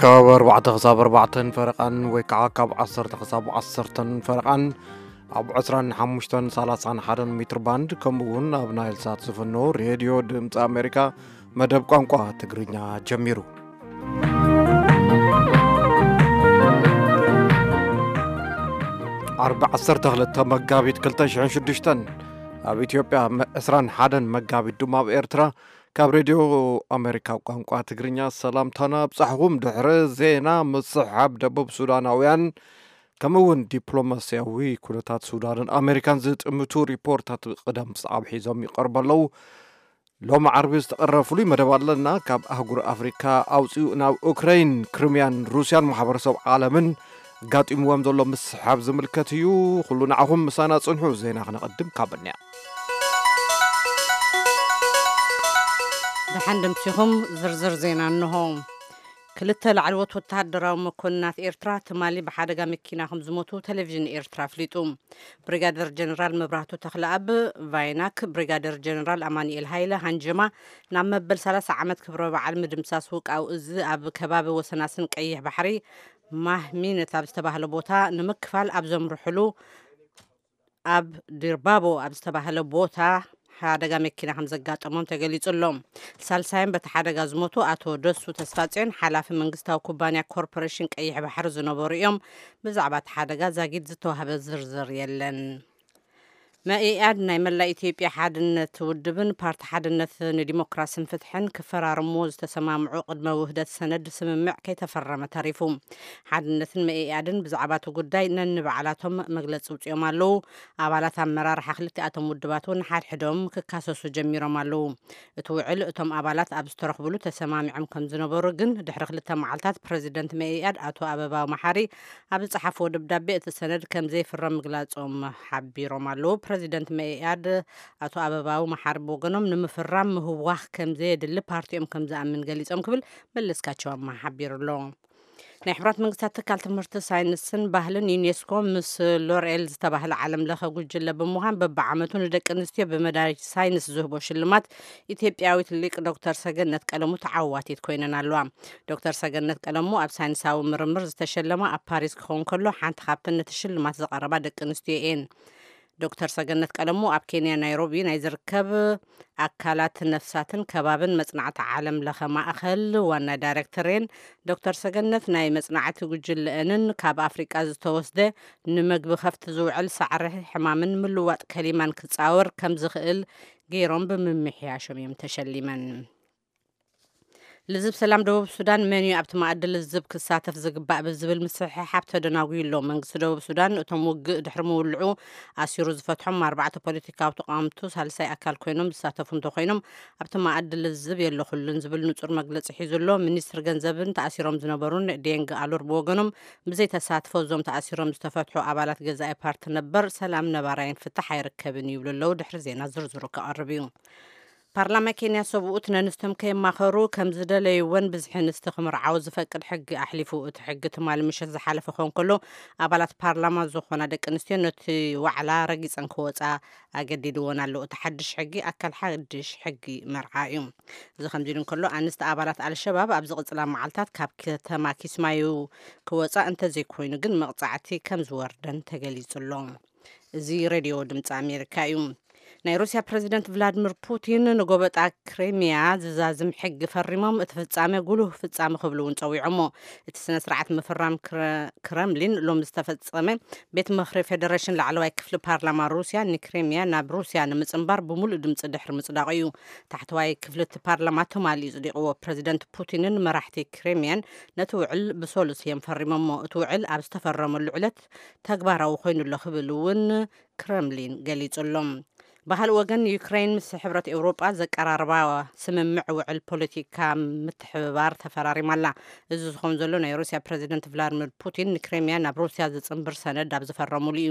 ካብ ኣርባዕተ ክሳብ ኣርባዕተን ፈረቓን ወይ ከዓ ካብ ዓሰርተ ክሳብ ዓሰርተን ፈረቓን ኣብ ዕስራን ሓሙሽተን ሰላሳን ሓደን ሜትር ባንድ፣ ከምኡ እውን ኣብ ናይል ሳት ዝፍኖ ሬድዮ ድምፂ ኣሜሪካ መደብ ቋንቋ ትግርኛ ጀሚሩ። ዓርቢ ዓሰርተ ክልተ መጋቢት ክልተ ሽሕን ሽዱሽተን ኣብ ኢትዮጵያ፣ መ-፣ ዕስራን ሓደን መጋቢት ድማ ኣብ ኤርትራ። ካብ ሬድዮ ኣሜሪካ ቋንቋ ትግርኛ ሰላምታና ኣብጻሕኹም። ድሕሪ ዜና፣ ምስሓብ ደቡብ ሱዳናውያን ከምኡ እውን ዲፕሎማስያዊ ኩነታት ሱዳንን ኣሜሪካን ዝጥምቱ ሪፖርታት ቅደም ሰዓብ ሒዞም ይቐርቡ ኣለዉ። ሎሚ ዓርቢ ዝተቐረበ ፍሉይ መደብ ኣለና። ካብ ኣህጉር ኣፍሪካ ኣውፂኡ ናብ ኡክራይን፣ ክሪምያን ሩስያን ማሕበረሰብ ዓለምን ኣጋጢምዎም ዘሎ ምስሓብ ዝምልከት እዩ። ኩሉ ንዓኹም ምሳና ጽንሑ። ዜና ክነቐድም ካብ በንያ። ደሓን ደምሲኹም። ዝርዝር ዜና እንሆ። ክልተ ላዕለዎት ወተሃደራዊ መኮንናት ኤርትራ ትማሊ ብሓደጋ መኪና ከም ዝሞቱ ቴሌቪዥን ኤርትራ ኣፍሊጡ። ብሪጋደር ጀነራል መብራህቱ ተኽለኣብ ቫይናክ፣ ብሪጋደር ጀነራል ኣማኑኤል ሃይለ ሃንጀማ ናብ መበል ሰላሳ ዓመት ክብረ በዓል ምድምሳስ ውቃው እዚ ኣብ ከባቢ ወሰናስን ቀይሕ ባሕሪ ማህሚነት ኣብ ዝተባህለ ቦታ ንምክፋል ኣብ ዘምርሕሉ ኣብ ዲርባቦ ኣብ ዝተባህለ ቦታ ሓደጋ መኪና ከም ዘጋጠሞም ተገሊጹ ኣሎ። ሳልሳይም በቲ ሓደጋ ዝሞቱ ኣቶ ደሱ ተስፋጽዮን፣ ሓላፊ መንግስታዊ ኩባንያ ኮርፖሬሽን ቀይሕ ባሕሪ ዝነበሩ እዮም። ብዛዕባ እቲ ሓደጋ ዛጊድ ዝተዋህበ ዝርዝር የለን። መኢኣድ ናይ መላእ ኢትዮጵያ ሓድነት ውድብን ፓርቲ ሓድነት ንዲሞክራስን ፍትሕን ክፈራርምዎ ዝተሰማምዑ ቅድመ ውህደት ሰነድ ስምምዕ ከይተፈረመ ተሪፉ። ሓድነትን መኢኣድን ብዛዕባ እቲ ጉዳይ ነንባዕላቶም መግለጺ ኣውጺኦም ኣለዉ። ኣባላት ኣመራርሓ ክልቲኣቶም ውድባት እውን ሓድሕዶም ክካሰሱ ጀሚሮም ኣለዉ። እቲ ውዕል እቶም ኣባላት ኣብ ዝተረኽብሉ ተሰማሚዖም ከም ዝነበሩ ግን ድሕሪ ክልተ መዓልታት ፕረዚደንት መኢኣድ ኣቶ ኣበባው መሓሪ ኣብ ዝጸሓፍዎ ደብዳቤ እቲ ሰነድ ከም ዘይፍረም ምግላጾም ሓቢሮም ኣለዉ። ፕረዚደንት መኢኣድ ኣቶ ኣበባው መሓሪ ብወገኖም ንምፍራም ምህዋኽ ከም ዘየድሊ ፓርቲኦም ከም ዝኣምን ገሊጾም ክብል መለስካቸው ኣማሃ ሓቢሩ ኣሎ። ናይ ሕቡራት መንግስታት ትካል ትምህርቲ ሳይንስን ባህልን ዩኔስኮ ምስ ሎርኤል ዝተባህለ ዓለም ለኸ ጉጅለ ብምዃን በብዓመቱ ንደቂ ኣንስትዮ ብመዳይ ሳይንስ ዝህቦ ሽልማት ኢትዮጵያዊት ሊቅ ዶክተር ሰገነት ቀለሙ ተዓዋቲት ኮይነን ኣለዋ። ዶክተር ሰገነት ቀለሙ ኣብ ሳይንሳዊ ምርምር ዝተሸለማ ኣብ ፓሪስ ክኸውን ከሎ፣ ሓንቲ ካብተን ነቲ ሽልማት ዝቐረባ ደቂ ኣንስትዮ እየን። ዶክተር ሰገነት ቀለሙ ኣብ ኬንያ ናይሮቢ ናይ ዝርከብ ኣካላት ነፍሳትን ከባብን መጽናዕቲ ዓለም ለኸ ማእኸል ዋና ዳይሬክተር እየን። ዶክተር ሰገነት ናይ መጽናዕቲ ጉጅለአንን ካብ ኣፍሪቃ ዝተወስደ ንመግቢ ከፍቲ ዝውዕል ሳዕሪ ሕማምን ምልዋጥ ከሊማን ክጻወር ከም ዝኽእል ገይሮም ብምምሕያሾም እዮም ተሸሊመን። ልዝብ ሰላም ደቡብ ሱዳን መን እዩ ኣብቲ መኣዲ ልዝብ ክሳተፍ ዝግባእ ብዝብል ምስሕሓብ ተደናጉዩ ኣሎ። መንግስቲ ደቡብ ሱዳን እቶም ውግእ ድሕሪ ምውልዑ ኣሲሩ ዝፈትሖም ኣርባዕተ ፖለቲካዊ ተቃወምቱ ሳልሳይ ኣካል ኮይኖም ዝሳተፉ እንተኮይኖም ኣብቲ መኣዲ ልዝብ የለኹሉን ዝብል ንጹር መግለጺ ሒዙ ኣሎ። ሚኒስትር ገንዘብን ተኣሲሮም ዝነበሩን ዴንግ ኣሉር ብወገኖም ብዘይ ተሳትፎ እዞም ተኣሲሮም ዝተፈትሑ ኣባላት ገዛኢ ፓርቲ ነበር ሰላም ነባራይን ፍታሕ ኣይርከብን ይብሉ ኣለዉ። ድሕሪ ዜና ዝርዝሩ ክቐርብ እዩ። ፓርላማ ኬንያ ሰብኡት ነንስቶም ከየማኸሩ ከም ዝደለይወን ብዝሒ ኣንስቲ ክምርዓው ዝፈቅድ ሕጊ ኣሕሊፉ። እቲ ሕጊ ትማሊ ምሸት ዝሓለፈ ክኸውን ከሎ፣ ኣባላት ፓርላማ ዝኾና ደቂ ኣንስትዮ ነቲ ዋዕላ ረጊጸን ክወጻ ኣገዲድወን ኣሎ። እቲ ሓድሽ ሕጊ ኣካል ሓድሽ ሕጊ መርዓ እዩ። እዚ ከምዚ ኢሉ እንከሎ፣ ኣንስቲ ኣባላት ኣልሸባብ ኣብ ዝቕጽላ መዓልታት ካብ ከተማ ኪስማዩ ክወጻ እንተዘይኮይኑ ግን መቕጻዕቲ ከም ዝወርደን ተገሊጹ ኣሎ። እዚ ሬድዮ ድምፂ ኣሜሪካ እዩ። ናይ ሩስያ ፕረዚደንት ቭላድሚር ፑቲን ንጎበጣ ክሬሚያ ዝዛዝም ሕጊ ፈሪሞም፣ እቲ ፍጻሜ ጉሉህ ፍጻሜ ክብሉ እውን ጸዊዖሞ። እቲ ስነ ስርዓት ምፍራም ክረ-፣ ክረምሊን ሎም ዝተፈጸመ ቤት ምኽሪ ፌደሬሽን ላዕለዋይ ክፍሊ ፓርላማ ሩስያ ንክሬሚያ ናብ ሩስያ ንምጽንባር ብምሉእ ድምፂ ድሕሪ ምጽዳቑ እዩ። ታሕተዋይ ክፍሊ እቲ ፓርላማ ትማሊ እዩ ጽዲቕዎ። ፕረዚደንት ፑቲንን መራሕቲ ክሬሚያን ነቲ ውዕል ብሰሉስ እዮም ፈሪሞሞ። እቲ ውዕል ኣብ ዝተፈረመሉ ዕለት ተግባራዊ ኮይኑ ኣሎ ክብል እውን ክረምሊን ገሊጹ ኣሎ። ብኻልእ ወገን፣ ዩክሬን ምስ ሕብረት ኤውሮጳ ዘቀራርባ ስምምዕ ውዕል ፖለቲካ ምትሕብባር ተፈራሪማ ኣላ። እዚ ዝኸውን ዘሎ፣ ናይ ሩስያ ፕረዚደንት ቭላድሚር ፑቲን ንክሬምያ ናብ ሩስያ ዝጽንብር ሰነድ ኣብ ዝፈረሙሉ እዩ።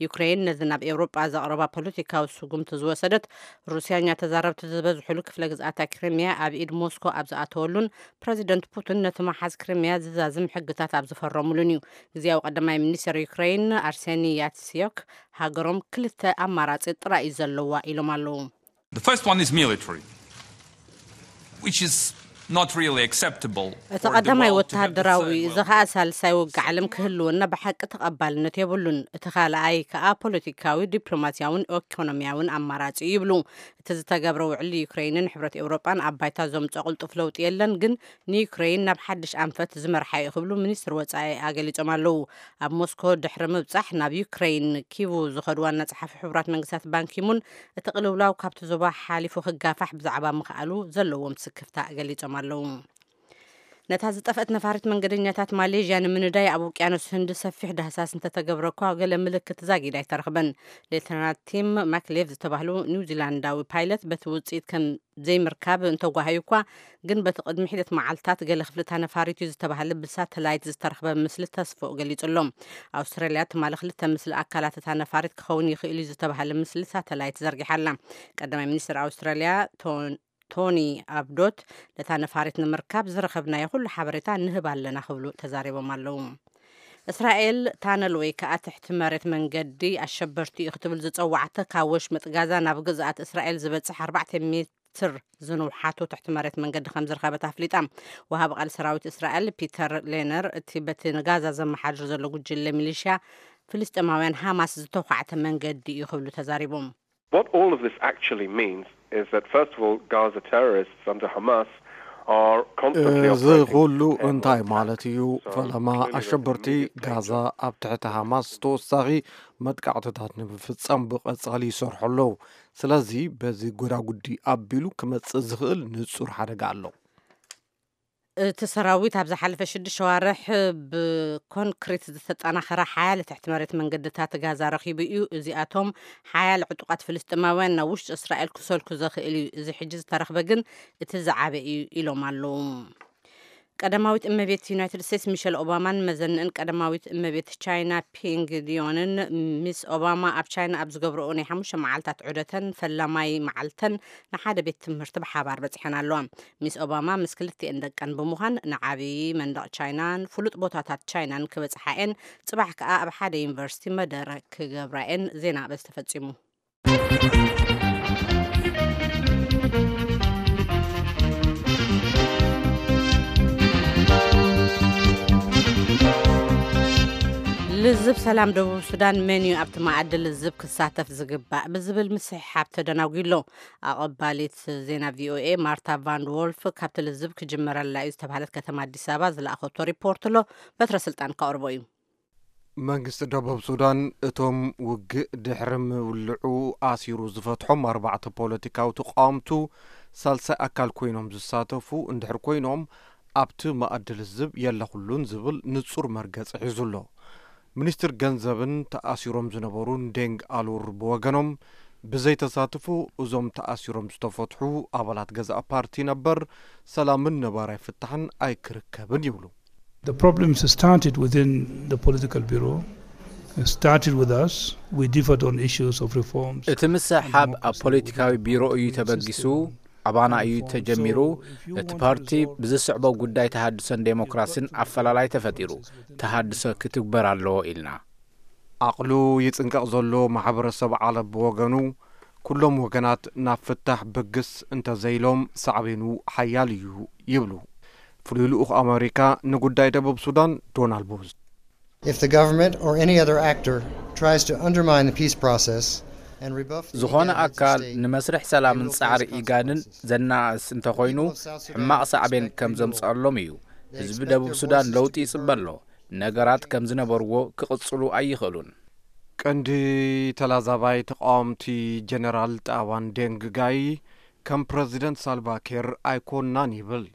ዩክሬን ነዚ ናብ ኤውሮጳ ዘቕረባ ፖለቲካዊ ስጉምቲ ዝወሰደት፣ ሩስያኛ ተዛረብቲ ዝበዝሕሉ ክፍለ ግዝኣታ ክሬምያ ኣብ ኢድ ሞስኮ ኣብ ዝኣተወሉን ፕረዚደንት ፑቲን ነቲ መሓዝ ክሬምያ ዝዛዝም ሕግታት ኣብ ዝፈረሙሉን እዩ። ግዜያዊ ቀዳማይ ሚኒስትር ዩክሬን ኣርሴኒ ያትስዮክ፣ ሃገሮም ክልተ ኣማራጺ ጥራይ እዩ ዘለዋ ኢሎም ኣለዉ። The first one is military, which is not really acceptable. እቲ ቀዳማይ ወተሃደራዊ፣ እዚ ኸኣ ሳልሳይ ውግእ ዓለም ክህልወና ብሓቂ ተቐባልነት የብሉን። እቲ ካልኣይ ከኣ ፖለቲካዊ፣ ዲፕሎማስያውን ኢኮኖሚያውን ኣማራጺ እዩ ይብሉ። እቲ ዝተገብረ ውዕሊ ዩክሬንን ሕብረት ኤውሮጳን ኣብ ባይታ ዘምጾ ቅልጡፍ ለውጢ የለን፣ ግን ንዩክሬን ናብ ሓድሽ ኣንፈት ዝመርሓ እዩ ክብሉ ሚኒስትር ወጻኢ ኣገሊጾም ኣለዉ። ኣብ ሞስኮ ድሕሪ ምብጻሕ ናብ ዩክሬን ኪቡ ዝኸዱ ዋና ጸሓፊ ሕቡራት መንግስታት ባንኪሙን እቲ ቅልውላው ካብቲ ዞባ ሓሊፉ ክጋፋሕ ብዛዕባ ምኽኣሉ ዘለዎም ስክፍታ ገሊጾም ኣለዉ። ነታ ዝጠፍአት ነፋሪት መንገደኛታት ማሌዥያ ንምንዳይ ኣብ ውቅያኖስ ህንዲ ሰፊሕ ዳህሳስ እንተተገብረ እኳ ገለ ምልክት ዛጊድ ኣይተረኽበን። ሌተናል ቲም ማክሌቭ ዝተባህሉ ኒውዚላንዳዊ ፓይለት በቲ ውፅኢት ከም ዘይምርካብ እንተጓሃዩ እኳ ግን በቲ ቅድሚ ሒደት መዓልታት ገለ ክፍልታ ነፋሪት እዩ ዝተባህለ ብሳተላይት ዝተረኽበ ምስሊ ተስፎ ገሊጹ ኣሎ። ኣውስትራልያ ትማሊ ክልተ ምስሊ ኣካላት እታ ነፋሪት ክኸውን ይኽእል እዩ ዝተባህለ ምስሊ ሳተላይት ዘርጊሓ ኣላ። ቀዳማይ ሚኒስትር ኣውስትራልያ ቶን ቶኒ ኣብዶት ነታ ነፋሪት ንምርካብ ዝረኸብናዮ ኩሉ ሓበሬታ ንህብ ኣለና ክብሉ ተዛሪቦም ኣለዉ። እስራኤል ታነል ወይ ከዓ ትሕቲ መሬት መንገዲ ኣሸበርቲ እዩ ክትብል ዝፀዋዕተ ካብ ወሽመጥ ጋዛ ናብ ግዝኣት እስራኤል ዝበፅሕ ኣርባዕተ ሜትር ዝንውሓቱ ትሕቲ መሬት መንገዲ ከም ዝረኸበት ኣፍሊጣ። ወሃቢ ቃል ሰራዊት እስራኤል ፒተር ሌነር እቲ በቲ ንጋዛ ዘመሓድር ዘሎ ጉጅለ ሚሊሽያ ፍልስጤማውያን ሃማስ ዝተኳዕተ መንገዲ እዩ ክብሉ ተዛሪቦም። What all of this actually means is that, first of all, Gaza terrorists under Hamas are constantly እዚ operating ኩሉ airborne እንታይ attacks. ማለት እዩ? So ፈለማ clearly there's ኣሸበርቲ immediate ጋዛ danger. ኣብ ትሕቲ ሃማስ ተወሳኺ መጥቃዕትታት ንምፍጻም ብቐጻሊ ይሰርሑ ኣለዉ። ስለዚ በዚ ጎዳጉዲ ኣቢሉ ክመጽእ ዝኽእል ንጹር ሓደጋ ኣሎ። እቲ ሰራዊት ኣብ ዝሓለፈ ሽዱሽተ ሸዋርሕ ብኮንክሪት ዝተጠናኸረ ሓያለ ትሕቲ መሬት መንገድታት ጋዛ ረኺቡ እዩ። እዚኣቶም ሓያለ ዕጡቓት ፍልስጥማውያን ናብ ውሽጢ እስራኤል ክሰልኩ ዘኽእል እዩ። እዚ ሕጂ ዝተረኽበ ግን እቲ ዝዓበ እዩ ኢሎም ኣለዉ። ቀዳማዊት እመቤት ዩናይትድ ስቴትስ ሚሸል ኦባማን መዘንእን ቀዳማዊት እመቤት ቻይና ፒንግ ዲዮንን ሚስ ኦባማ ኣብ ቻይና ኣብ ዝገብረኦ ናይ ሓሙሽተ መዓልታት ዑደተን ፈላማይ መዓልተን ንሓደ ቤት ትምህርቲ ብሓባር በጺሐን ኣለዋ። ሚስ ኦባማ ምስ ክልቲኤን ደቀን ብምዃን ንዓብዪ መንደቕ ቻይናን ፍሉጥ ቦታታት ቻይናን ክበጽሓ እየን። ጽባሕ ከኣ ኣብ ሓደ ዩኒቨርሲቲ መደረ ክገብራ እየን። ዜና በዚ ተፈጺሙ። ልዝብ ሰላም ደቡብ ሱዳን መን እዩ ኣብቲ መኣዲ ልዝብ ክሳተፍ ዝግባእ ብዝብል ምስሕሓብ ተደናጒ ኣሎ። ኣቐባሊት ዜና ቪኦኤ ማርታ ቫንድ ዎልፍ ካብቲ ልዝብ ክጅመረላ እዩ ዝተባህለት ከተማ ኣዲስ ኣበባ ዝለኣኸቶ ሪፖርት ኣሎ። በትረ ስልጣን ከቕርቦ እዩ። መንግስቲ ደቡብ ሱዳን እቶም ውግእ ድሕሪ ምውልዑ ኣሲሩ ዝፈትሖም ኣርባዕተ ፖለቲካዊ ተቃወምቱ ሳልሳይ ኣካል ኮይኖም ዝሳተፉ እንድሕር ኮይኖም ኣብቲ መኣዲ ልዝብ የለኹሉን ዝብል ንጹር መርገጺ ሒዙ ኣሎ። ሚኒስትር ገንዘብን ተኣሲሮም ዝነበሩን ዴንግ ኣሉር ብወገኖም ብዘይተሳትፉ እዞም ተኣሲሮም ዝተፈትሑ ኣባላት ገዛእ ፓርቲ ነበር ሰላምን ነባራይ ፍታሕን ኣይክርከብን ይብሉ። The problems started within the political bureau, started with us. We differed on issues of reforms. እቲ ምስሕሓብ ኣብ ፖለቲካዊ ቢሮ እዩ ተበጊሱ፣ ኣባና እዩ ተጀሚሩ። እቲ ፓርቲ ብዝስዕቦ ጉዳይ ተሃድሶን ዴሞክራሲን ኣፈላላይ ተፈጢሩ፣ ተሃድሶ ክትግበር ኣለዎ ኢልና። ዓቕሉ ይጽንቀቕ ዘሎ ማሕበረሰብ ዓለም ብወገኑ ኩሎም ወገናት ናብ ፍታሕ ብግስ እንተዘይሎም ሳዕቤኑ ሓያል እዩ ይብሉ ፍሉይ ልኡኽ ኣመሪካ ንጉዳይ ደቡብ ሱዳን ዶናልድ ቡዝ። If the government or any other actor tries to undermine the peace process and rebuff the ዝኾነ IGAD ኣካል heads of state, ንመስርሕ ሰላምን ጻዕሪ ኢጋድን ዘናእስ እንተኾይኑ ሕማቕ ሳዕቤን ከም ዘምጽኣሎም እዩ። ህዝቢ ደቡብ ሱዳን ለውጢ ይጽበ ኣሎ። ነገራት ከም ዝነበርዎ ክቕጽሉ ኣይኽእሉን። ቀንዲ ተላዛባይ ተቃወምቲ ጀነራል ጣባን ዴንግ ጋይ ከም ፕረዚደንት ሳልቫኪር ኣይኮንናን ይብል።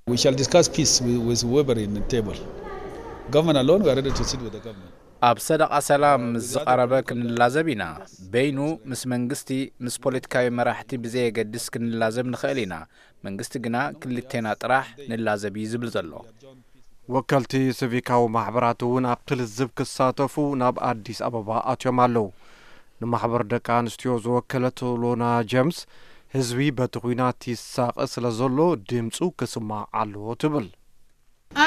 We shall discuss peace with, with whoever in the table. Government alone, we are ready to sit with the government. ኣብ ሰደቓ ሰላም ምስ ዝቐረበ ክንላዘብ ኢና። በይኑ ምስ መንግስቲ፣ ምስ ፖለቲካዊ መራሕቲ ብዘየገድስ ክንላዘብ ንኽእል ኢና። መንግስቲ ግና ክልቴና ጥራሕ ንላዘብ እዩ ዝብል ዘሎ። ወከልቲ ሲቪካዊ ማሕበራት እውን ኣብቲ ልዝብ ክሳተፉ ናብ ኣዲስ ኣበባ ኣትዮም ኣለዉ። ንማሕበር ደቂ ኣንስትዮ ዝወከለት ሎና ጀምስ ህዝቢ በቲ ኲናት ይሳቐ ስለ ዘሎ ድምፁ ክስማዕ ኣለዎ ትብል።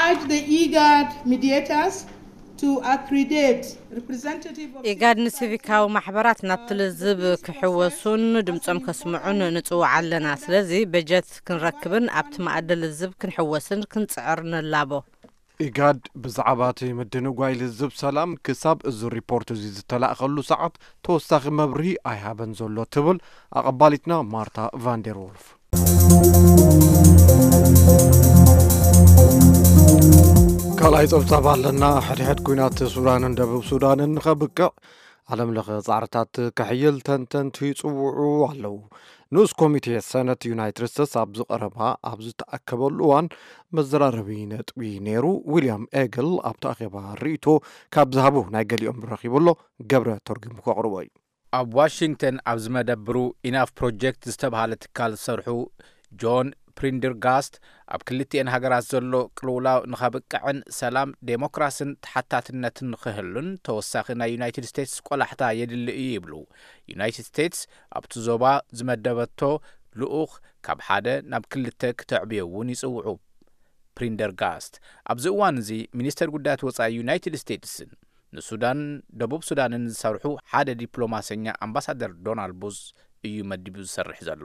Urge the IGAD mediators to accredit representative of ኢጋድ ንሲቪካዊ ማሕበራት ናብቲ ልዝብ ክሕወሱን ድምጾም ከስምዑን ንጽውዕ ኣለና። ስለዚ በጀት ክንረክብን ኣብቲ መኣዲ ልዝብ ክንሕወስን ክንጽዕር ንላቦ። ኢጋድ ብዛዕባ እቲ ምድንጓይ ልዝብ ሰላም ክሳብ እዚ ሪፖርት እዚ ዝተላእኸሉ ሰዓት ተወሳኺ መብርሂ ኣይሃበን ዘሎ ትብል ኣቐባሊትና ማርታ ቫንደር ዎልፍ። ካልኣይ ጸብጻብ ኣለና። ሕድሕድ ኲናት ሱዳንን ደቡብ ሱዳንን ንኸብቅዕ ዓለም ለኸ ጻዕርታት ከሕይል ተንተንቲ ይጽውዑ ኣለዉ። ንኡስ ኮሚቴ ሰነት ዩናይትድ ስቴትስ ኣብዚ ቀረባ ኣብ ዝተኣከበሉ እዋን መዘራረቢ ነጥቢ ነይሩ። ዊልያም ኤግል ኣብቲ ኣኼባ ርእይቶ ካብ ዝሃቡ ናይ ገሊኦም ረኺቡ ኣሎ። ገብረ ተርጉሙ ከቕርቦ እዩ። ኣብ ዋሽንግተን ኣብ ዝመደብሩ ኢናፍ ፕሮጀክት ዝተባሃለ ትካል ዝሰርሑ ጆን ፕሪንደርጋስት፣ ኣብ ክልቲኤን ሃገራት ዘሎ ቅልውላው ንኸብቅዕን ሰላም፣ ዴሞክራስን ተሓታትነትን ንኽህሉን ተወሳኺ ናይ ዩናይትድ ስቴትስ ቆላሕታ የድሊ እዩ ይብሉ። ዩናይትድ ስቴትስ ኣብቲ ዞባ ዝመደበቶ ልኡኽ ካብ ሓደ ናብ ክልተ ክተዕብዮ እውን ይጽውዑ። ፕሪንደርጋስት ኣብዚ እዋን እዚ ሚኒስተር ጉዳያት ወጻኢ ዩናይትድ ስቴትስን ንሱዳን፣ ደቡብ ሱዳንን ዝሰርሑ ሓደ ዲፕሎማሰኛ ኣምባሳደር ዶናልድ ቡዝ እዩ መዲቡ ዝሰርሕ ዘሎ።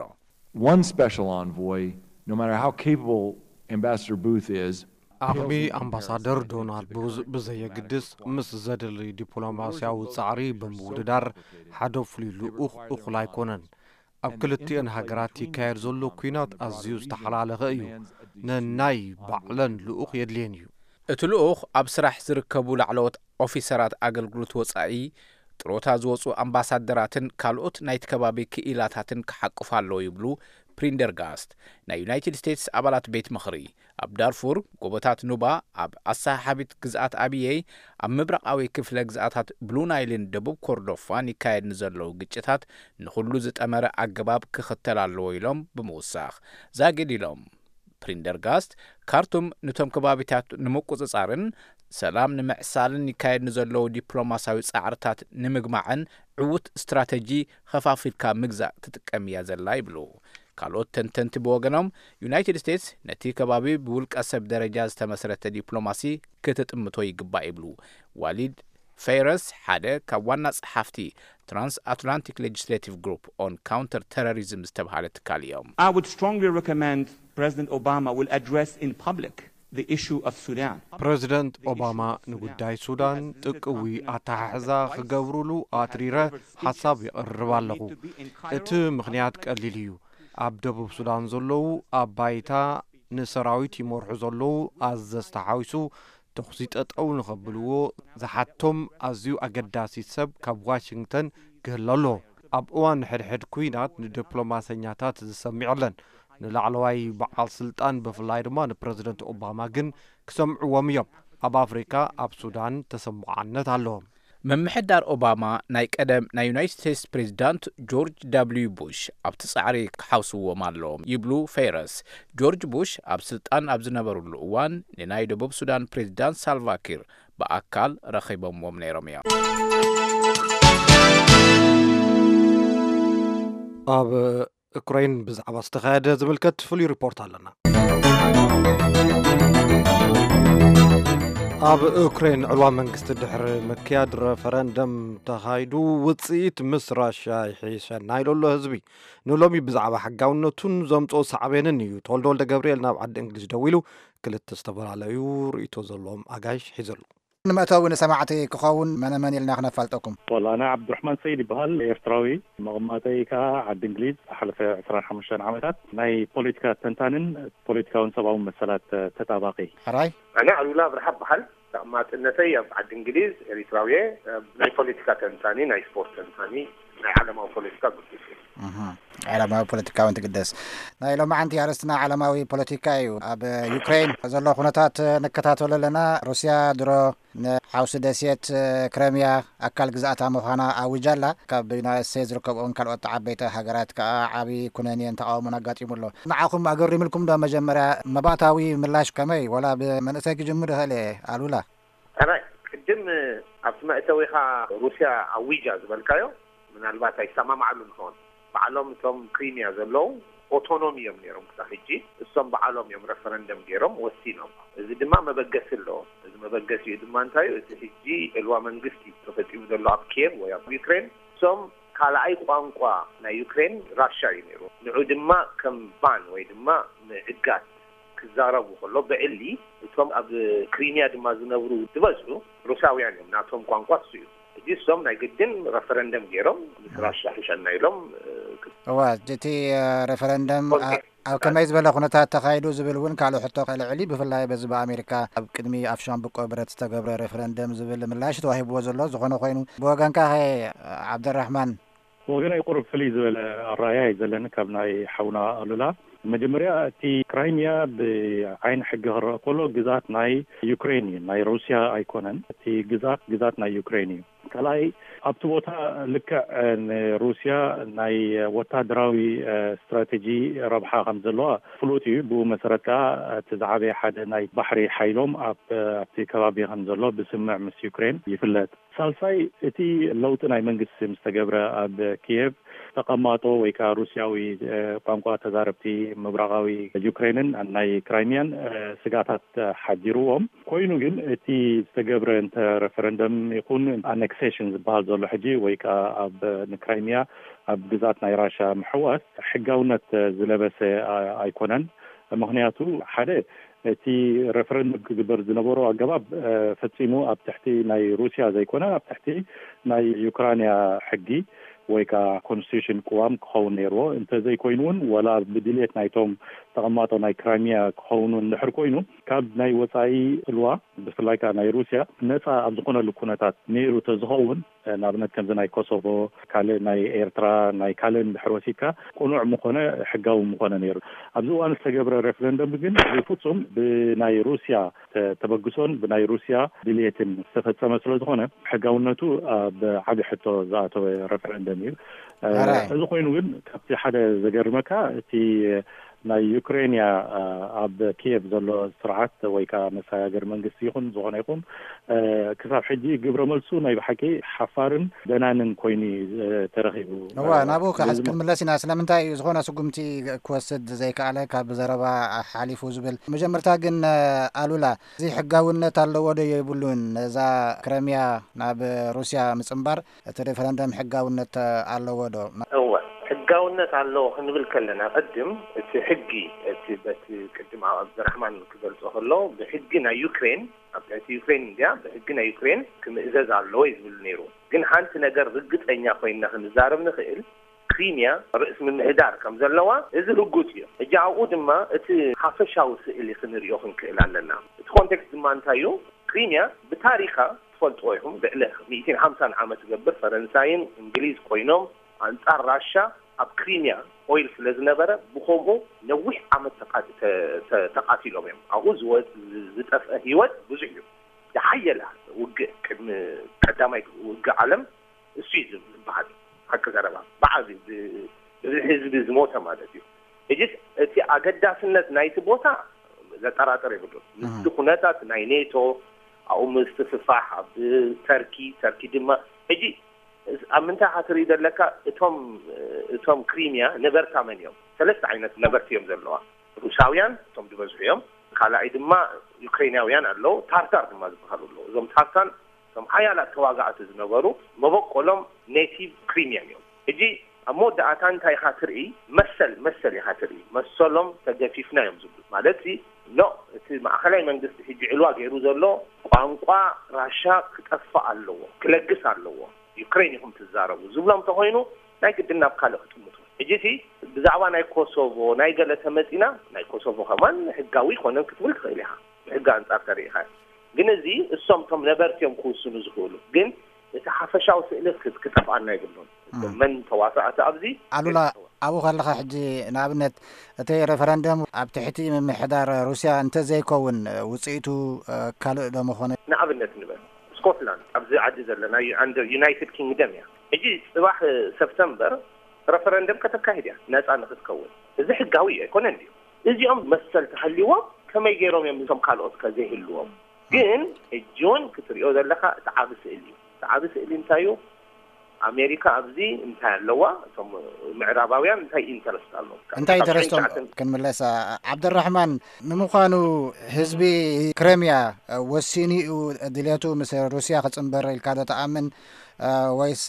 One special envoy, no matter how capable Ambassador Booth is, ዓቕሚ ኣምባሳደር ዶናልድ ቡዝ ብዘየግድስ፣ ምስ ዘድሊ ዲፕሎማስያዊ ጻዕሪ ብምውድዳር ሓደ ፍሉይ ልኡኽ እኹል ኣይኮነን። ኣብ ክልቲኤን ሃገራት ይካየድ ዘሎ ኲናት ኣዝዩ ዝተሓላለኸ እዩ። ነናይ ባዕለን ልኡኽ የድልየን እዩ። እቲ ልኡኽ ኣብ ስራሕ ዝርከቡ ላዕለዎት ኦፊሰራት ኣገልግሎት ወጻኢ፣ ጥሮታ ዝወጹ ኣምባሳደራትን ካልኦት ናይቲ ከባቢ ክኢላታትን ክሓቁፍ ኣለዎ ይብሉ ፕሪንደርጋስት፣ ናይ ዩናይትድ ስቴትስ ኣባላት ቤት ምኽሪ። ኣብ ዳርፉር፣ ጎቦታት ኑባ፣ ኣብ ኣሰሓሓቢት ግዝኣት ኣብየይ፣ ኣብ ምብራቓዊ ክፍለ ግዝኣታት ብሉ ናይልን ደቡብ ኮርዶፋን ይካየድ ንዘለዉ ግጭታት ንኹሉ ዝጠመረ ኣገባብ ክኽተል ኣለዎ ኢሎም ብምውሳኽ፣ ዛጊድ ኢሎም። ፕሪንደርጋስት፣ ካርቱም ንቶም ከባቢታት ንምቁጽጻርን ሰላም ንምዕሳልን ይካየድ ንዘለዉ ዲፕሎማስያዊ ጻዕርታት ንምግማዕን ዕዉት ስትራተጂ ኸፋፊልካ ምግዛእ ትጥቀም እያ ዘላ ይብሉ። ካልኦት ተንተንቲ ብወገኖም፣ ዩናይትድ ስቴትስ ነቲ ከባቢ ብውልቀ ሰብ ደረጃ ዝተመስረተ ዲፕሎማሲ ክትጥምቶ ይግባእ ይብሉ። ዋሊድ ፌረስ ሓደ ካብ ዋና ጸሓፍቲ ትራንስ ኣትላንቲክ ሌጅስሌቲቭ ግሩፕ ኦን ካውንተር ተሮሪዝም ዝተብሃለ ትካል እዮም። I would strongly recommend President Obama will address in public the issue of Sudan. ፕረዚደንት ኦባማ ንጉዳይ ሱዳን ጥቅዊ ኣተሓሕዛ ክገብሩሉ ኣትሪረ ሓሳብ የቕርብ ኣለኹ። እቲ ምኽንያት ቀሊል እዩ። ኣብ ደቡብ ሱዳን ዘለዉ ኣብ ባይታ ንሰራዊት ይመርሑ ዘለዉ ኣዘዝቲ ሓዊሱ ተኹሲ ጠጠው ንኸብልዎ ዝሓቶም ኣዝዩ ኣገዳሲ ሰብ ካብ ዋሽንግተን ክህሉ ኣለዎ። ኣብ እዋን ሕድሕድ ኲናት ንዲፕሎማሰኛታት ዝሰምዕ የለን። ንላዕለዋይ በዓል ስልጣን ብፍላይ ድማ ንፕረዚደንት ኦባማ ግን ክሰምዕዎም እዮም። ኣብ ኣፍሪካ ኣብ ሱዳን ተሰማዓነት ኣለዎም። ምምሕዳር ኦባማ ናይ ቀደም ናይ ዩናይትድ ስቴትስ ፕሬዚዳንት ጆርጅ ደብልዩ ቡሽ ኣብቲ ጻዕሪ ክሓውስዎም ኣለዎም ይብሉ ፌረስ። ጆርጅ ቡሽ ኣብ ስልጣን ኣብ ዝነበሩሉ እዋን ንናይ ደቡብ ሱዳን ፕሬዚዳንት ሳልቫኪር ብኣካል ረኺቦምዎም ነይሮም እዮም። ኣብ ዩክሬን ብዛዕባ ዝተኻየደ ዝምልከት ፍሉይ ሪፖርት ኣለና። ኣብ ዩክሬን ዕልዋ መንግስቲ ድሕሪ ምክያድ ረፈረንደም ተኻይዱ ውፅኢት ምስ ራሽያ ይሕሸና ኢሉ ኣሎ ህዝቢ። ንሎሚ ብዛዕባ ሕጋውነቱን ዘምፅኦ ሳዕቤንን እዩ ተወልደ ወልደ ገብርኤል ናብ ዓዲ እንግሊዝ ደዊሉ ክልተ ዝተፈላለዩ ርእይቶ ዘለዎም ኣጋይሽ ሒዙ ኣሎ። ንመእተዊ ንሰማዕቲ ክኸውን መነ መን ኢልና ክነፋልጠኩም? ወላ ኣነ ዓብዱራሕማን ሰይድ ይበሃል፣ ኤርትራዊ፣ መቐማጠይ ከኣ ዓዲ እንግሊዝ። ዝሓለፈ ዕስራን ሓሙሽተን ዓመታት ናይ ፖለቲካ ተንታንን ፖለቲካውን ሰብኣውን መሰላት ተጣባቂ። ሕራይ። ኣነ ኣሉላ ኣብርሃ እበሃል። ተቐማጥነተይ ኣብ ዓዲ እንግሊዝ፣ ኤሪትራዊ እየ። ናይ ፖለቲካ ተንታኒ፣ ናይ ስፖርት ተንታኒ፣ ናይ ዓለማዊ ፖለቲካ ግዱስ እየ። እህ፣ ዓለማዊ ፖለቲካ እውን ትግደስ። ናይ ሎማዓንቲ ኣርእስትና ዓለማዊ ፖለቲካ እዩ። ኣብ ዩክሬን ዘሎ ኩነታት ንከታተሎ ኣለና። ሩስያ ድሮ ንሓውሲ ደሴት ክረምያ ኣካል ግዝኣታ ምዃና ኣዊጃ ኣላ። ካብ ዩናይትድ ስቴትስ ዝርከብኦን ካልኦት ዓበይቲ ሃገራት ከኣ ዓቢ ኩነኔን ተቓውሞን ኣጋጢሙ ኣሎ። ንዓኹም ኣገሪምልኩም ዶ? መጀመርያ መባእታዊ ምላሽ ከመይ? ወላ ብመንእሰይ ክጅምር ይኽእል እየ፣ ኣሉላ። ሕራይ፣ ቅድም ኣብቲ መእተዊኻ ሩስያ ኣዊጃ ዝበልካዮ፣ ምናልባት ኣይሰማማዓሉን ይኸውን። ባዕሎም እቶም ክሪሚያ ዘለዉ ኦቶኖሚ እዮም ነይሮም ክሳብ ሕጂ። እሶም ባዕሎም እዮም ረፈረንደም ገይሮም ወሲኖም። እዚ ድማ መበገሲ ኣለዎ። እዚ መበገሲኡ ድማ እንታይ እዩ? እቲ ሕጂ ዕልዋ መንግስቲ ተፈጺሙ ዘሎ ኣብ ኪየቭ ወይ ኣብ ዩክሬን፣ እሶም ካልኣይ ቋንቋ ናይ ዩክሬን ራሻ እዩ ነይሩ። ንዑ ድማ ከም ባን ወይ ድማ ምዕጋት ክዛረቡ ከሎ ብዕሊ፣ እቶም ኣብ ክሪሚያ ድማ ዝነብሩ ዝበዝሑ ሩሳውያን እዮም። ናቶም ቋንቋ እሱ እዩ። ሕጂ እሶም ናይ ግድን ረፈረንደም ገይሮም ምስ ራሻ ሕሸና ኢሎም እዋ እቲ ረፈረንደም ኣብ ከመይ ዝበለ ኩነታት ተኻይዱ ዝብል እውን ካልእ ሕቶ ከልዕል እዩ። ብፍላይ በዚ ብኣሜሪካ ኣብ ቅድሚ ኣፍ ሻምብቆ ብረት ዝተገብረ ሬፈረንደም ዝብል ምላሽ ተዋሂብዎ ዘሎ። ዝኾነ ኮይኑ ብወገንካ ኸ ዓብደራሕማን? ብወገነይ ቁሩብ ፍልይ ዝበለ ኣረኣእያ እዩ ዘለኒ ካብ ናይ ሓውና ኣሉላ። መጀመርያ እቲ ክራይሚያ ብዓይኒ ሕጊ ክረአ ከሎ ግዛት ናይ ዩክሬን እዩ፣ ናይ ሩስያ ኣይኮነን። እቲ ግዛት ግዛት ናይ ዩክሬን እዩ። ካልኣይ ኣብቲ ቦታ ልክዕ ንሩስያ ናይ ወታደራዊ ስትራቴጂ ረብሓ ከም ዘለዋ ፍሉጥ እዩ። ብኡ መሰረት ከዓ እቲ ዝዓበየ ሓደ ናይ ባሕሪ ሓይሎም ኣብ ኣብቲ ከባቢ ከም ዘሎ ብስምዕ ምስ ዩክሬን ይፍለጥ። ሳልሳይ እቲ ለውጢ ናይ መንግስቲ ምስ ተገብረ ኣብ ኪየቭ ተቐማጦ ወይ ከዓ ሩስያዊ ቋንቋ ተዛረብቲ ምብራቓዊ ዩክሬንን ናይ ክራይሚያን ስጋታት ሓዲርዎም። ኮይኑ ግን እቲ ዝተገብረ እንተ ሬፈረንደም ይኹን ኣነክሴሽን ዝበሃል ዘሎ ሕጂ ወይ ከዓ ኣብ ንክራይሚያ ኣብ ግዛት ናይ ራሻ ምሕዋስ ሕጋውነት ዝለበሰ ኣይኮነን። ምኽንያቱ ሓደ እቲ ሬፈረንደም ክግበር ዝነበሮ ኣገባብ ፈጺሙ ኣብ ትሕቲ ናይ ሩስያ ዘይኮነ ኣብ ትሕቲ ናይ ዩክራንያ ሕጊ ወይ ከዓ ኮንስቲቱሽን ቅዋም ክኸውን ነይርዎ። እንተዘይኮይኑ እውን ዋላ ብድልየት ናይቶም ተቐማጦ ናይ ክራይሚያ ክኸውን እውን ድሕር ኮይኑ ካብ ናይ ወፃኢ ጽልዋ ብፍላይ ከዓ ናይ ሩስያ ነፃ ኣብ ዝኾነሉ ኩነታት ነይሩ ተዝኸውን ንኣብነት ከምዚ ናይ ኮሶቮ ካልእ ናይ ኤርትራ ናይ ካልእ እንድሕር ወሲድካ ቅኑዕ ምኾነ ሕጋዊ ምኾነ ነይሩ። ኣብዚ እዋን ዝተገብረ ሬፈረንደም ግን ብፍጹም ብናይ ሩስያ ተበግሶን ብናይ ሩስያ ድልየትን ዝተፈጸመ ስለ ዝኾነ ሕጋውነቱ ኣብ ዓቢ ሕቶ ዝኣተወ ሬፈረንደም እዩ። እዚ ኮይኑ ግን ካብቲ ሓደ ዘገርመካ እቲ ናይ ዩክሬንያ ኣብ ኪየቭ ዘሎ ስርዓት ወይ ከዓ መሰጋገሪ መንግስቲ ይኹን ዝኾነ ይኹን ክሳብ ሕጂ ግብረ መልሱ ናይ ብሓቂ ሓፋርን ደናንን ኮይኑ ተረኺቡ። እዋ ናብኡ ከዓ ክንምለስ ኢና። ስለምንታይ እዩ ዝኾነ ስጉምቲ ክወስድ ዘይከኣለ ካብ ዘረባ ሓሊፉ ዝብል? መጀመርታ ግን ኣሉላ እዚ ሕጋውነት ኣለዎ ዶ የብሉን? ነዛ ክረሚያ ናብ ሩስያ ምጽንባር እቲ ሬፈረንደም ሕጋውነት ኣለዎ ዶ? እወ፣ ሕጋውነት ኣለዎ ክንብል ከለና ቅድም እቲ ሕጊ እቲ በቲ ቅድም ኣብ ኣብድራሕማን ክገልጾ ከሎ ብሕጊ ናይ ዩክሬን ኣብ ትሕቲ ዩክሬን እንድያ ብሕጊ ናይ ዩክሬን ክምእዘዝ ኣለዎ እዩ ዝብል ነይሩ። ግን ሓንቲ ነገር ርግጸኛ ኮይንና ክንዛረብ ንኽእል ክሪምያ ርእስ ምምሕዳር ከም ዘለዋ እዚ ርጉጽ እዩ። ሕጂ ኣብኡ ድማ እቲ ሓፈሻዊ ስእሊ ክንሪኦ ክንክእል ኣለና። እቲ ኮንቴክስት ድማ እንታይ እዩ? ክሪምያ ብታሪኻ ትፈልጥዎ ኢኹም። ልዕሊ ሚእትን ሓምሳን ዓመት ዝገብር ፈረንሳይን እንግሊዝ ኮይኖም ኣንጻር ራሻ ኣብ ክሪምያ ኦይል ስለ ዝነበረ ብኸምኡ ነዊሕ ዓመት ተቃቲሎም እዮም። ኣብኡ ዝጠፍአ ህይወት ብዙሕ እዩ። ዝሓየለ ውግእ ቅድሚ ቀዳማይ ውግእ ዓለም እሱ እዩ ዝበሃል። ሓቂ ዘረባ ብዓብዩ ብብዝሒ ህዝቢ ዝሞተ ማለት እዩ። ሕጂስ እቲ ኣገዳስነት ናይቲ ቦታ ዘጠራጥር የብሉን። ምስቲ ኩነታት ናይ ኔቶ ኣብኡ ምስፍሕፋሕ ኣብ ተርኪ ተርኪ ድማ ሕጂ ኣብ ምንታይ ኢኻ ትርኢ ዘለካ? እቶም እቶም ክሪምያ ነበርታ መን እዮም? ሰለስተ ዓይነት ነበርቲ እዮም ዘለዋ። ሩሳውያን እቶም ዝበዝሑ እዮም። ካልኣይ ድማ ዩክሬናውያን ኣለዉ። ታርታር ድማ ዝበሃሉ ኣለዉ። እዞም ታርታን እቶም ሓያላት ተዋጋእቲ ዝነበሩ መበቆሎም ኔቲቭ ክሪምያን እዮም። ሕጂ ኣብ መወዳእታ እንታይ ኢኻ ትርኢ? መሰል መሰል ኢኻ ትርኢ። መሰሎም ተገፊፍና እዮም ዝብሉ ማለት ሲ ኖ እቲ ማእኸላይ መንግስቲ ሕጂ ዕልዋ ገይሩ ዘሎ ቋንቋ ራሻ ክጠፍእ ኣለዎ፣ ክለግስ ኣለዎ፣ ዩክሬን ኢኹም ትዛረቡ ዝብሎም ተኾይኑ ናይ ግድን ናብ ካልእ ክጥምቱ። ሕጂ ሲ ብዛዕባ ናይ ኮሶቮ ናይ ገለ ተመፂና ናይ ኮሶቮ ከማን ሕጋዊ ይኮነን ክትብል ትኽእል ኢኻ ብሕጊ ኣንፃር ተሪኢኻ። ግን እዚ እሶም እቶም ነበርቲ እዮም ክውስኑ ዝኽእሉ። ግን እቲ ሓፈሻዊ ስእሊ ክጠፍኣና የብሉን። መን ተዋሳእቲ ኣብዚ ኣሉላ ኣብኡ ከለኻ ሕጂ ንኣብነት እቲ ሬፈረንደም ኣብ ትሕቲ ምምሕዳር ሩስያ እንተዘይከውን ውፅኢቱ ካልእ ዶ መኾነ? ንኣብነት ንበል ስኮትላንድ ኣብዚ ዓዲ ዘለና ዩ- under United Kingdom እያ። ሕጂ ፅባሕ ሰፕተምበር ረፈረንደም ከተካሂድ እያ ነፃ ንክትከውን። እዚ ሕጋዊ እዩ ኣይኮነን ድዩ? እዚኦም መሰል ተሃልይዎም ከመይ ገይሮም እዮም እቶም ካልኦት ከ ዘይህልዎም? ግን ሕጂ እውን ክትሪኦ ዘለካ እቲ ዓቢ ስእሊ እዩ። እቲ ዓቢ ስእሊ እንታይ እዩ? ኣሜሪካ ኣብዚ እንታይ ኣለዋ? እቶም ምዕራባውያን እንታይ ኢንተረስት ኣለዎም? እንታይ ኢንተረስቶም? ክንምለስ። ዓብደራሕማን፣ ንምዃኑ ህዝቢ ክረምያ ወሲኑ እዩ ድልየቱ ምስ ሩስያ ክፅንበር ኢልካ ዶ ተኣምን? ወይስ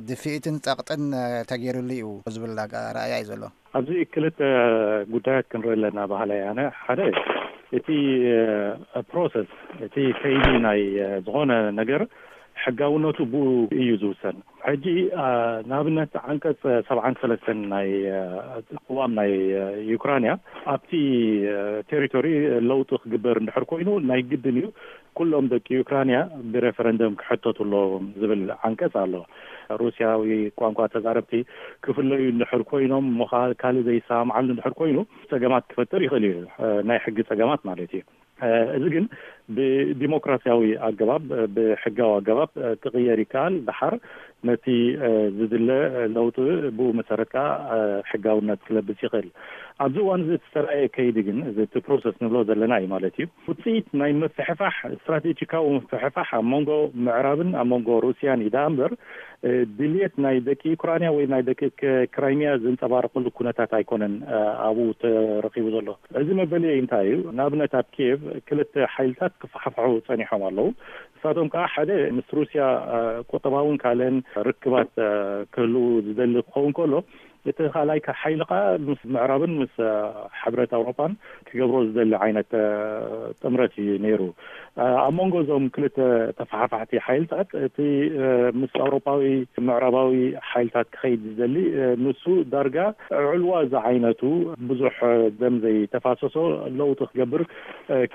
ድፍኢትን ፀቕጥን ተገይሩሉ እዩ ዝብል ረኣያ እዩ ዘሎ? ኣብዚ ክልተ ጉዳያት ክንርኢ ኣለና ባህላይ ኣነ። ሓደ፣ እቲ ፕሮሰስ፣ እቲ ከይዲ ናይ ዝኾነ ነገር ሕጋውነቱ ብኡ እዩ ዝውሰን። ሕጂ ንኣብነት ዓንቀፅ ሰብዓን ሰለስተን ናይ ቅዋም ናይ ዩክራንያ፣ ኣብቲ ቴሪቶሪ ለውጢ ክግበር እንድሕር ኮይኑ ናይ ግድን እዩ ኩሎም ደቂ ዩክራንያ ብሬፈረንደም ክሕተቱ ኣለዎም ዝብል ዓንቀፅ ኣሎ። ሩስያዊ ቋንቋ ተዛረብቲ ክፍለዩ እንድሕር ኮይኖም፣ እሞ ካልእ ዘይሰማምዓሉ እንድሕር ኮይኑ ፀገማት ክፈጥር ይኽእል እዩ፣ ናይ ሕጊ ፀገማት ማለት እዩ። እዚ ግን ብዲሞክራሲያዊ ኣገባብ፣ ብሕጋዊ ኣገባብ ክቕየር ይከኣል። ደሓር ነቲ ዝድለ ለውጢ ብኡ መሰረት ከዓ ሕጋውነት ክለብስ ይኽእል። ኣብዚ እዋን እዚ ዝተረኣየ ከይዲ ግን፣ እዚ እቲ ፕሮሰስ ንብሎ ዘለና እዩ ማለት እዩ፣ ውፅኢት ናይ ምፍሕፋሕ፣ ስትራቴጂካዊ ምፍሕፋሕ ኣብ መንጎ ምዕራብን ኣብ መንጎ ሩስያን እዩ። ደኣ እምበር ድልየት ናይ ደቂ ዩክራንያ ወይ ናይ ደቂ ክራይሚያ ዘንፀባርቀሉ ኩነታት ኣይኮነን ኣብኡ ተረኺቡ ዘሎ። እዚ መበለይ እንታይ እዩ? ንኣብነት ኣብ ኪየቭ ክልተ ሓይልታት ክፈሓፍሑ ፀኒሖም ኣለዉ። ንሳቶም ከዓ ሓደ ምስ ሩስያ ቁጠባውን ካልእን ርክባት ክህልዉ ዝደሊ ክኸውን ከሎ፣ እቲ ካልኣይ ሓይሊ ከዓ ምስ ምዕራብን ምስ ሕብረት ኣውሮፓን ክገብሮ ዝደሊ ዓይነት ጥምረት እዩ ነይሩ። ኣብ መንጎ እዞም ክልተ ተፈሓፋሕቲ ሓይልታት እቲ ምስ ኣውሮፓዊ ምዕራባዊ ሓይልታት ክኸይድ ዝደሊ ንሱ ዳርጋ ዕልዋ ዝዓይነቱ ብዙሕ ደም ዘይተፋሰሶ ለውጢ ክገብር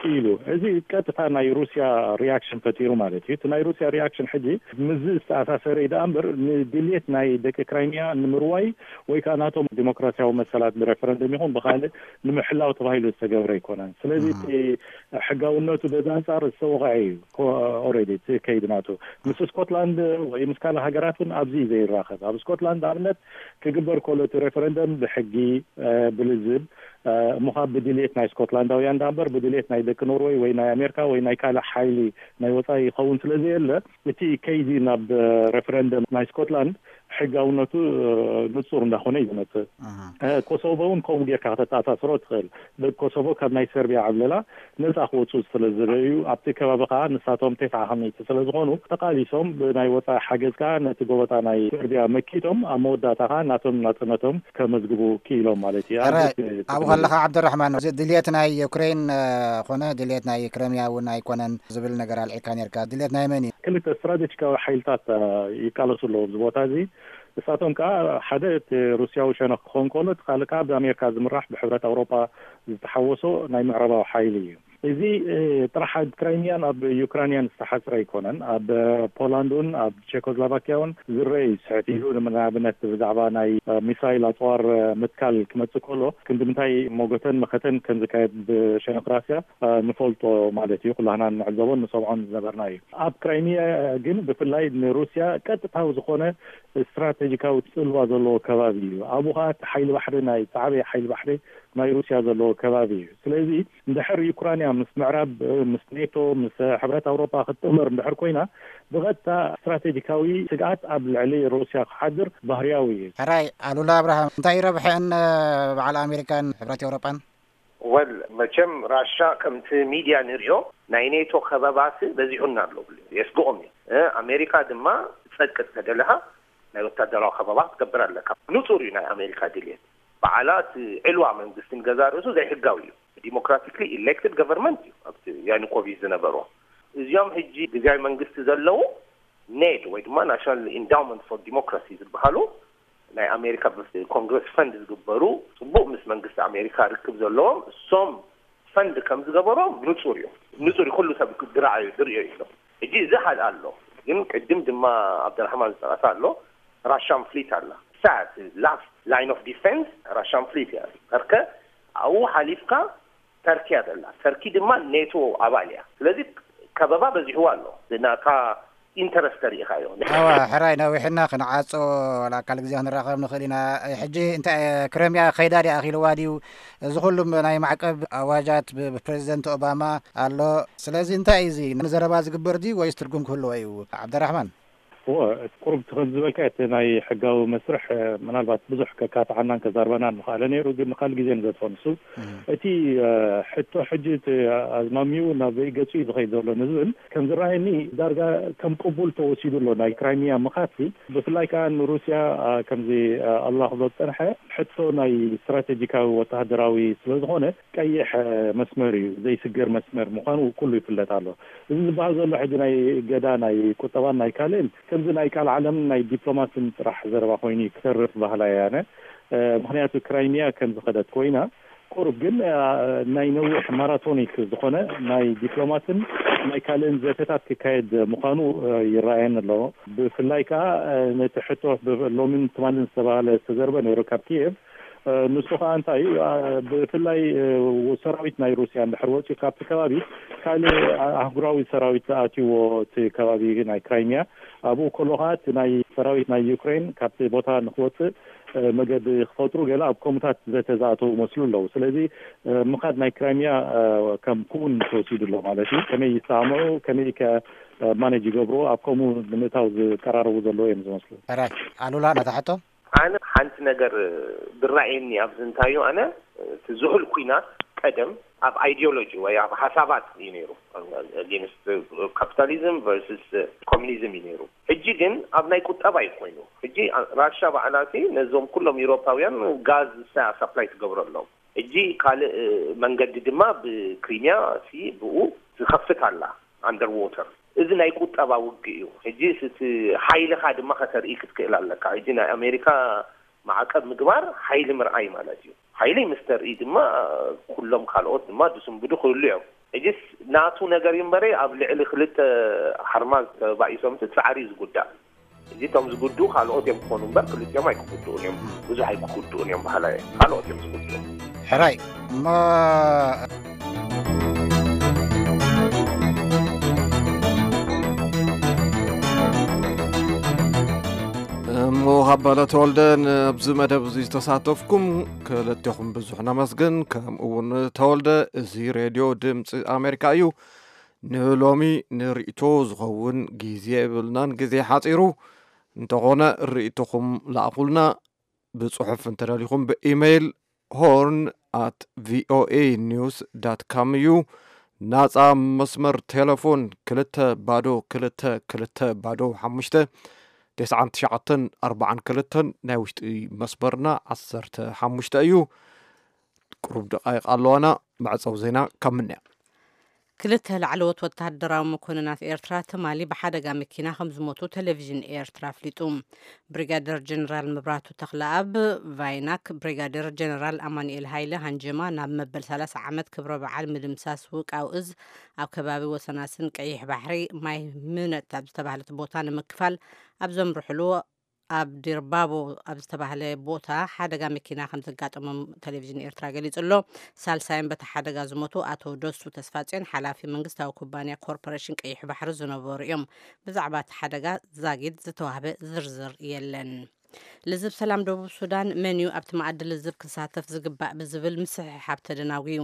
ክኢሉ። እዚ ቀጥታ ናይ ሩስያ ሪያክሽን ፈጢሩ ማለት እዩ። እቲ ናይ ሩስያ ሪያክሽን ሕጂ ምስዚ ዝተኣሳሰረ እዩ ደኣ እምበር ንድልየት ናይ ደቂ ክራይሚያ ንምርዋይ ወይ ከዓ ናቶም ዲሞክራሲያዊ መሰላት ብሬፈረንደም ይኹን ብካልእ ንምሕላው ተባሂሉ ዝተገብረ ኣይኮነን። ስለዚ እቲ ሕጋውነቱ በዚ ኣንፃር ዝተወቕዐ እዩ። ኦልሬዲ እቲ ከይዲ ናቱ ምስ ስኮትላንድ ወይ ምስ ካልእ ሃገራት እውን ኣብዚ ዘይራኸብ። ኣብ ስኮትላንድ ኣብነት ክግበር ከሎ እቲ ሬፈረንደም ብሕጊ ብልዝብ እሞ ካብ ብድልየት ናይ ስኮትላንዳውያን ዳ እምበር ብድልየት ናይ ደቂ ኖርወይ ወይ ናይ ኣሜሪካ ወይ ናይ ካልእ ሓይሊ ናይ ወፃኢ ይኸውን ስለ ዘየለ፣ እቲ ከይዲ ናብ ሬፈረንደም ናይ ስኮትላንድ ሕጋውነቱ ንፁር እንዳኾነ እዩ ዝመፅእ። ኮሶቮ እውን ከምኡ ጌርካ ከተተኣሳስሮ ትኽእል። ደቂ ኮሶቮ ካብ ናይ ሰርቢያ ዕብለላ ነፃ ክወፁ ስለ ዝደለዩ፣ ኣብቲ ከባቢ ከዓ ንሳቶም ተስዓ ከመይቲ ስለ ዝኾኑ፣ ተቓሊሶም ብናይ ወፃኢ ሓገዝ ከዓ ነቲ ጎበጣ ናይ ሰርቢያ መኪቶም ኣብ መወዳእታ ከዓ ናቶም ናፅነቶም ከመዝግቡ ክኢሎም ማለት እዩ። ኣብዚ ኣብኡ ከለኻ ዓብደራሕማን፣ እዚ ድልየት ናይ ዩክሬን ኮነ ድልየት ናይ ክረምያ እውን ኣይኮነን ዝብል ነገር ኣልዒልካ ነርካ። ድልየት ናይ መን እዩ? ክልተ ስትራቴጂካዊ ሓይልታት ይቃለሱ ኣለዉ ኣብዚ ቦታ እዚ። ንሳቶም ከዓ ሓደ እቲ ሩስያዊ ሸነኽ ክኸውን ከሎ፣ እቲ ካልእ ከዓ ብኣሜሪካ ዝምራሕ ብሕብረት ኣውሮፓ ዝተሓወሶ ናይ ምዕራባዊ ሓይሊ እዩ። እዚ ጥራሕ ኣብ ክራይሚያን ኣብ ዩክራንያን ዝተሓፅረ ኣይኮነን። ኣብ ፖላንድ እውን ኣብ ቼኮስሎቫኪያ እውን ዝረአ እዩ። ስሕት ኢሉ ንኣብነት ብዛዕባ ናይ ሚሳይል ኣፅዋር ምትካል ክመፅእ ከሎ ክንዲ ምንታይ ሞገተን መኸተን ከም ዝካየድ ብሸነኽ ራስያ ንፈልጦ ማለት እዩ። ኩላህና ንዕዘቦን ንሰምዖን ዝነበርና እዩ። ኣብ ክራይሚያ ግን ብፍላይ ንሩስያ ቀጥታዊ ዝኾነ ስትራቴጂካዊ ፅልዋ ዘለዎ ከባቢ እዩ። ኣብኡ ከዓ እቲ ሓይሊ ባሕሪ ናይ ዝዓበየ ሓይሊ ባሕሪ ናይ ሩስያ ዘለዎ ከባቢ እዩ። ስለዚ እንድሕር ዩክራንያ ምስ ምዕራብ ምስ ኔቶ ምስ ሕብረት ኣውሮፓ ክትጥመር እንድሕር ኮይና ብቐጥታ ስትራቴጂካዊ ስግኣት ኣብ ልዕሊ ሩስያ ክሓድር ባህርያዊ እዩ። ሕራይ ኣሉላ ኣብርሃም፣ እንታይ ረብሐን በዓል ኣሜሪካን ሕብረት ኤውሮጳን? ወል መቸም ራሻ ከምቲ ሚድያ ንሪኦ ናይ ኔቶ ከበባሲ በዚሑና ኣሎ ብሉ የስግኦም እዩ። ኣሜሪካ ድማ ትጸቅጥ ተደለኻ ናይ ወታደራዊ ከበባ ክትገብር ኣለካ። ንጹር እዩ ናይ ኣሜሪካ ድልየት። በዓላ እቲ ዕልዋ መንግስቲ ንገዛ ርእሱ ዘይሕጋዊ እዩ። ዲሞክራቲክሊ ኢሌክትድ ገቨርንመንት እዩ ኣብቲ ያኑኮቪች ዝነበሮ። እዚኦም ሕጂ ግዝያዊ መንግስቲ ዘለዉ ኔድ ወይ ድማ ናሽናል ኢንዳውመንት ፎር ዲሞክራሲ ዝበሃሉ ናይ ኣሜሪካ ኮንግረስ ፈንድ ዝግበሩ ጽቡቕ ምስ መንግስቲ ኣሜሪካ ርክብ ዘለዎም እሶም ፈንድ ከም ዝገበሮም ንጹር እዩ። ንጹር እዩ። ኩሉ ሰብ ድርኣዩ ድርእዮ እዩ። ሕጂ እዚ ሓደ ኣሎ። ግን ቅድም ድማ ኣብደራሕማን ዝጠቐሳ ኣሎ ራሻን ፍሊት ኣላ። ሳት ላስት ላይን ኦፍ ዲፌንስ ራሻን ፍሊት እያ። ከርከ ኣብኡ ሓሊፍካ ተርኪ እያ ዘላ። ተርኪ ድማ ኔቶ ኣባል እያ። ስለዚ ከበባ በዚሕዋ ኣሎ። ናታ ኢንተረስት ተሪኢኻዮ። ኣዋ ሕራይ ነዊሕና ክንዓጾ ዋላ ካልእ ግዜ ክንራኸብ ንኽእል ኢና። ሕጂ እንታይ ክረምያ ከይዳ ድያ ኣኺልዋ ድዩ? እዚ ኩሉ ናይ ማዕቀብ ኣዋጃት ብፕሬዚደንት ኦባማ ኣሎ። ስለዚ እንታይ እዩ እዚ ንዘረባ ዝግበር ድዩ ወይስ ትርጉም ክህልዎ እዩ? ዓብደራሕማን። እወ፣ እቲ ቁሩብ እቲ ከም ዝበልካ እቲ ናይ ሕጋዊ መስርሕ፣ እ፣ ምናልባት ብዙሕ ከካትዓናን ከዛርበናን ምኽኣለ ነይሩ፣ ግን ንኻልእ ግዜ ንገድፎ። ንሱ እቲ፣ እ፣ ሕቶ ሕጂ እቲ ኣዝማሚኡ ናብ በይ ገጹ እዩ ዝኸይድ ዘሎ ንዝብል ከም ዝረኣየኒ ዳርጋ ከም ቅቡል ተወሲዱ ኣሎ ናይ ክራይሚያ ምኻድሲ። ብፍላይ ከኣ ንሩስያ፣ እ፣ ከምዚ፣ እ፣ ኣሉላ ክብሎ ዝጸንሐ ሕቶ ናይ ስትራቴጂካዊ ወተሃደራዊ ስለ ዝኾነ ቀይሕ፣ እ፣ መስመር እዩ፣ ዘይስገር መስመር ምዃኑ ኩሉ ይፍለጥ ኣሎ። እዚ ዝበሃል ዘሎ ሕጂ ናይ እገዳ ናይ ቁጠባን ናይ ካልእን ከምዚ ናይ ቃል ዓለምን ናይ ዲፕሎማስን ጥራሕ ዘረባ ኮይኑ እዩ ክተርፍ ባህላ እየ ኣነ። እ፣ ምኽንያቱ ክራይሚያ ከም ዝኸደት ኮይና ቁሩብ ግን፣ እ፣ ናይ ነዊሕ ማራቶኒክ ዝኾነ ናይ ዲፕሎማስን ናይ ካልእን ዘተታት ክካየድ ምዃኑ፣ እ፣ ይረኣየኒ ኣሎ። ብፍላይ ከኣ፣ እ፣ ነቲ ሕቶ ብ-፣ ሎምን ትማልን ዝተባህለ ዝተዘርበ ነይሩ ካብ ኪየቭ። እ፣ ንሱ ከኣ እንታይ እዩ፣ እ፣ ብፍላይ፣ እ፣ ሰራዊት ናይ ሩስያ እንድሕር ወፂኡ ካብቲ ከባቢ ካልእ ኣ-፣ ኣህጉራዊ ሰራዊት ኣትይዎ እቲ ከባቢ ናይ ክራይሚያ፣ ኣብኡ ከሎ ከኣ እቲ ናይ ሰራዊት ናይ ዩክሬን ካብቲ ቦታ ንክወፅእ፣ እ፣ መገዲ ክፈጥሩ ገለ ኣብ ከምኡታት ዘተ ዝኣተዉ መስሉ ኣለዉ። ስለዚ፣ እ፣ ምኻድ ናይ ክራይሚያ፣ እ፣ ከም ክውን ተወሲዱ ኣሎ ማለት እዩ። ከመይ ይሰማምዑ፣ ከመይ ከ፣ እ፣ ማኔጅ ይገብሩ፣ ኣብ ከምኡ ንምእታው ዝቀራረቡ ዘለዉ እዮም ዝመስሉ። ሕራይ፣ ኣሉላ፣ ነታ ሕቶ? ኣነ ሓንቲ ነገር ዝረኣየኒ ኣብዚ እንታዩ፣ ኣነ እቲ ዝሑል ኩናት ቀደም ኣብ ኣይዲዮሎጂ ወይ ኣብ ሓሳባት እዩ ነይሩ። ኣጌንስት ካፒታሊዝም ቨርስስ ኮሚኒዝም እዩ ነይሩ። ሕጂ ግን ኣብ ናይ ቁጠባ እዩ ኮይኑ። ሕጂ ራሻ ባዕላ ሲ ነዞም ኩሎም ኢሮፓውያን ጋዝ ሳ-፣ ሳፕላይ ትገብረሎም። ሕጂ ካልእ መንገዲ ድማ ብክሪሚያ ሲ ብኡ ዝኸፍት ኣላ ኣንደር ዎተር። እዚ ናይ ቁጠባ ውግእ እዩ። ሕጂ እቲ ሓይልኻ ድማ ከተርኢ ክትክእል ኣለካ። ሕጂ ናይ ኣሜሪካ ማዕቀብ ምግባር ሓይሊ ምርኣይ ማለት እዩ። ሓይሊ ምስ ተርኢ ድማ ኩሎም ካልኦት ድማ ድስንብዱ ክህሉ እዮም። ሕጂስ ናቱ ነገር እዩ እምበረ ኣብ ልዕሊ ክልተ ሓርማዝ ተባኢሶም እቲ ጻዕሪ እዩ ዝጉዳእ። ሕጂ እቶም ዝጉድኡ ካልኦት እዮም ክኾኑ እምበር ክልቲኦም ኣይክጉድኡን እዮም። ብዙሕ ኣይክጉድኡን እዮም በሃላይ እየ። ካልኦት እዮም ዝጉድኡ። ሕራይ እሞ እሞ ሃባለ ተወልደ፣ ነብዚ መደብ እዚ ዝተሳተፍኩም ክልቴኹም ብዙሕ ነመስግን። ከምኡ እውን ተወልደ፣ እዚ ሬድዮ ድምፂ ኣሜሪካ እዩ። ንሎሚ ንርእይቶ ዝኸውን ግዜ የብልናን፣ ግዜ ሓፂሩ። እንተኾነ ርእይቶኹም ለኣኹልና፣ ብጽሑፍ እንተደሊኹም ብኢሜይል ሆርን ኣት ቪኦኤ ኒውስ ዳት ካም እዩ። ናጻ መስመር ቴሌፎን ክልተ ባዶ ክልተ ክልተ ባዶ ሓሙሽተ፣ ተስዓን ትሽዓተን ኣርባዓን ክልተን፣ ናይ ውሽጢ መስመርና ዓሰርተ ሓሙሽተ እዩ። ቁሩብ ደቓይቕ ኣለዋና። መዕጸዊ ዜና ካብ ምንያ። ክልተ ላዕለዎት ወተሃደራዊ መኮንናት ኤርትራ ትማሊ ብሓደጋ መኪና ከም ዝሞቱ ቴሌቪዥን ኤርትራ ኣፍሊጡ። ብሪጋደር ጀነራል መብራህቱ ተኽለኣብ ቫይናክ፣ ብሪጋደር ጀነራል ኣማኑኤል ሃይለ ሃንጀማ ናብ መበል ሰላሳ ዓመት ክብረ በዓል ምድምሳስ ውቃው እዝ ኣብ ከባቢ ወሰናስን ቀይሕ ባሕሪ ማይ ምነጥ ኣብ ዝተባህለት ቦታ ንምክፋል ኣብ ዘምርሕሉ ኣብ ዲርባቦ ኣብ ዝተባህለ ቦታ ሓደጋ መኪና ከም ዘጋጠሞም ቴሌቪዥን ኤርትራ ገሊጹ ኣሎ። ሳልሳይን በቲ ሓደጋ ዝሞቱ ኣቶ ደሱ ተስፋጽዮን ሓላፊ መንግስታዊ ኩባንያ ኮርፖሬሽን ቀይሕ ባሕሪ ዝነበሩ እዮም። ብዛዕባ እቲ ሓደጋ ዛጊድ ዝተዋህበ ዝርዝር የለን። ልዝብ ሰላም ደቡብ ሱዳን መን እዩ ኣብቲ መኣዲ ልዝብ ክሳተፍ ዝግባእ ብዝብል ምስሕሓብ ተደናጉዩ።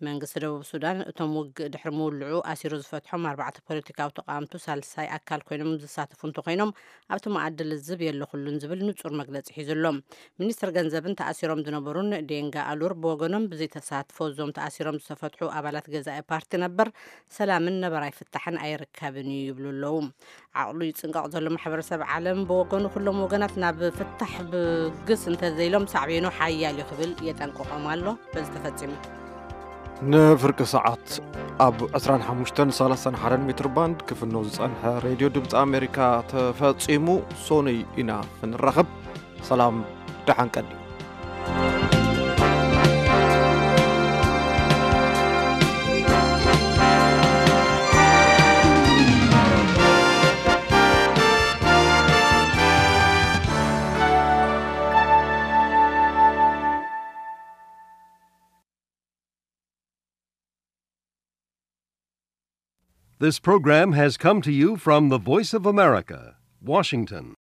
መንግስቲ ደቡብ ሱዳን እቶም ውግእ ድሕሪ ምውልዑ ኣሲሩ ዝፈትሖም ኣርባዕተ ፖለቲካዊ ተቃወምቱ ሳልሳይ ኣካል ኮይኖም ዝሳተፉ እንተኮይኖም ኣብቲ መኣዲ ልዝብ የለኹሉን ዝብል ንጹር መግለጺ ሒዙ ኣሎ። ሚኒስትር ገንዘብን ተኣሲሮም ዝነበሩን ዴንጋ ኣሉር ብወገኖም ብዘይተሳትፎ እዞም ተኣሲሮም ዝተፈትሑ ኣባላት ገዛኢ ፓርቲ ነበር ሰላምን ነባራይ ፍታሕን ኣይርከብን እዩ ይብሉ ኣለዉ። ዓቕሉ ይጽንቀቕ ዘሎ ማሕበረሰብ ዓለም ብወገኑ ኩሎም ወገናት ናብ ፍታሕ ብግስ እንተዘይሎም ሳዕቤኑ ሓያል እዩ ክብል የጠንቅቖም ኣሎ። በዚ ተፈጺሙ። ንፍርቂ ሰዓት ኣብ ዕስራን ሓሙሽተን ሰላሳን ሓደን ሜትር ባንድ ክፍኖ ዝጸንሐ ሬድዮ ድምፂ ኣሜሪካ ተፈጺሙ። ሶኑይ ኢና ክንራኸብ። ሰላም፣ ደሓን ቀኒ። This program has come to you from the Voice of America, Washington.